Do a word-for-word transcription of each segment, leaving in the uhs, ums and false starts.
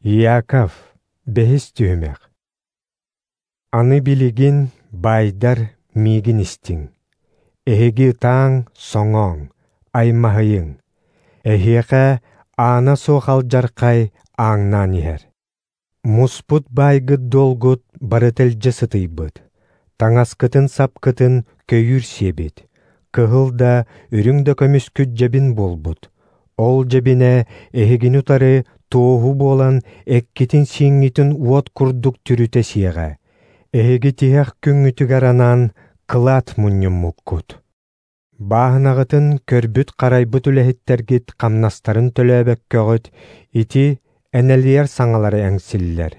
Иаков, бэһис түһүмэх. Аны билигин баайдар миигин истиҥ. Эһиги ытааҥ, соҥооҥ, аймаһыйыҥ. Эһиэхэ аана суох алдьархай ааҥнаан иһэр. Муспут баайгыт-дуолгут барыта илдьэ сытыйбыт. Таҥаскытын-сапкытын көйүүр сиэбит. Кыһыл да, үрүҥ да көмүскүт дьэбин буолбут. Ол дьэбинэ эһигини утары туоһу буолан эккитин-сииҥҥитин уот курдук түрүтэ сиэҕэ. Эһиги тиһэх күҥҥүтүгэр анаан кылаат мунньуммуккут. Бааһынаҕытын көрбүт-харайбыт үлэһиттэргит хамнастарын төлөөбөккөҕүт ити энэлийэр саҥалары эҥсиллэр.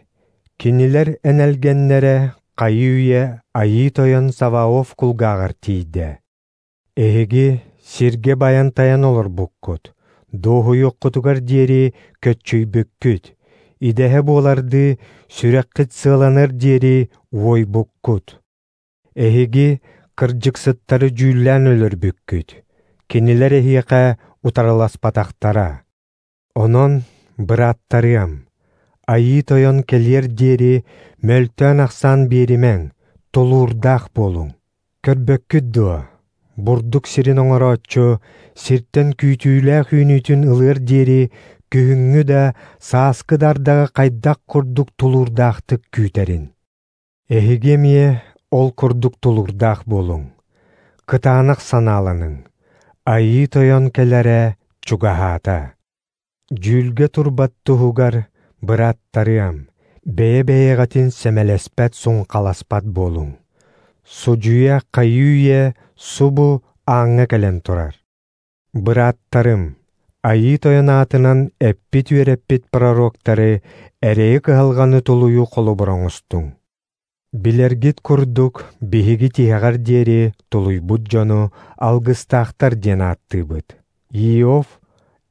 Кинилэр энэлгэннэрэ хайыы-үйэ Айыы Тойон Саваоф кулгааҕар тиийдэ. Эһиги сиргэ байан-тайан олорбуккут, дуоһуйуоххутугар диэри көччүйбүккүт, идэһэ буолардыы сүрэххит сыаланар диэри уойбуккут. Эһиги кырдьыксыттары дьүүллээн өлөрбүккүт, кинилэр эһиэхэ утарыласпатахтара. Онон, бырааттарыам, Айыы Тойон кэлиэр диэри мөлтөөн-ахсаан биэримэҥ, тулуурдаах буолуҥ. Көрбөккүт дуо, бурдук сирин оҥорооччу сиртэн күүтүүлээх үүнүүтүн ылыар диэри күһүҥҥү да, сааскы да ардаҕы хайдах курдук тулуурдаахтык күүтэрин. Эһиги эмиэ ол курдук тулуурдаах буолуҥ, кытаанах санааланыҥ, Айыы Тойон кэлэрэ чугаһаата. Дьүүлгэ турбат туһугар, бырааттарыам, бэйэ-бэйэҕитин сэмэлэспэт-суҥхаласпат буолуҥ. Судьуйа хайыы-үйэ субу ааҥҥа кэлэн турар. Бырааттарым, Айыы Тойон аатынан эппит-үөрэппит пророктары эрэйи-кыһалҕаны тулуйуу холобур оҥостуҥ. Билэргит курдук, биһиги тиһэҕэр диэри тулуйбут дьону алгыстаахтар диэн ааттыыбыт. Иов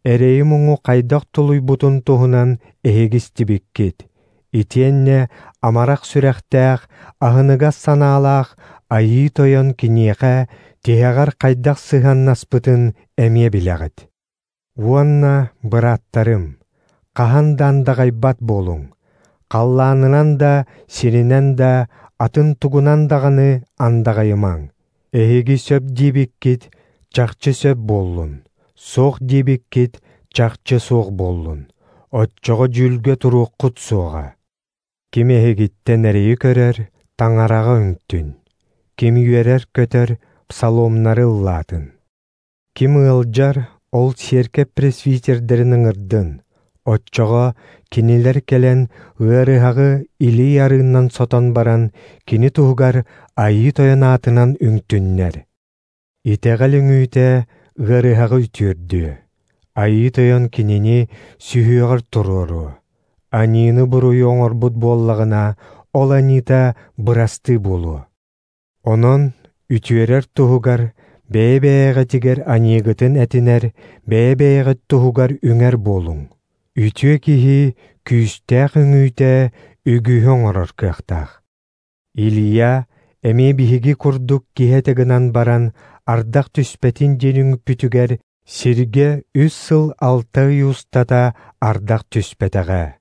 эрэйи-муҥу хайдах тулуйбутун туһунан эһиги истибиккит. Итиэннэ амарах сүрэхтээх, аһыныгас санаалаах Айыы Тойон киниэхэ тиһэҕэр хайдах сыһыаннаспытын эмиэ билэҕит. Уонна, бырааттарым, хаһан да андаҕайбат буолуҥ. Халлаанынан да, сиринэн да, атын тугунан даҕаны андаҕайымаҥ. Эһиги сөп диэбиккит чахчы сөп буоллун, суох диэбиккит чахчы суох буоллун. Оччоҕо дьүүлгэ туруоххут суоҕа. Ким эһигиттэн эрэйи көрөр, таҥараҕа үҥтүн. Ким үөрэр-көтөр, псаломнары ыллаатын. Ким ыалдьар, ол сиэркэп пресвитердэрин ыҥырдын. Оччоҕо кинилэр кэлэн ыарыһаҕы илии арыыннан сотон баран, кини туһугар Айыы Тойон аатынан үҥтүннэр. Итэҕэл үҥүүтэ ыарыһаҕы үтүөрдүө. Айыы Тойон кинини сүһүөҕэр туруоруо. Аньыыны-буруйу оҥорбут буоллаҕына, ол аньыыта бырастыы буолуо. Онон үтүөрэр туһугар бэйэ-бэйэҕитигэр аньыыгытын этинэр, бэйэ-бэйэҕит туһугар үҥэр буолуҥ. Үтүө киһи күүстээх үҥүүтэ үгүһү оҥорор кыахтаах. Илия эмиэ биһиги курдук киһи этэ гынан баран, ардах түспэтин диэн үҥпүтүгэр сиргэ үс сыл алта ый устата ардах түспэтэҕэ.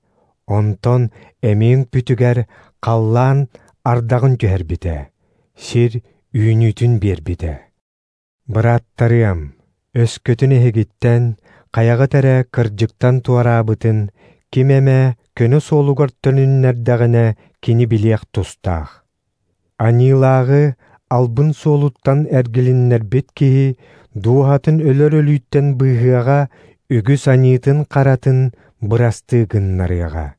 Онтон эмиэ үҥпүтүгэр халлаан ардаҕын түһэрбитэ, сир үүнүүтүн биэрбитэ. Бырааттарыам, өскөтүн эһигиттэн хайаҕыт эрэ кырдьыктан туораабытын, ким эмэ көнө суолугар төнүннэрдэҕинэ кини билиэх тустаах. Аньыылааҕы албын суолуттан эргилиннэрбит киһи дууһатын өлөр өлүүттэн быыһыаҕа, үгүс аньыытын-харатын бырастыы гыннарыаҕа.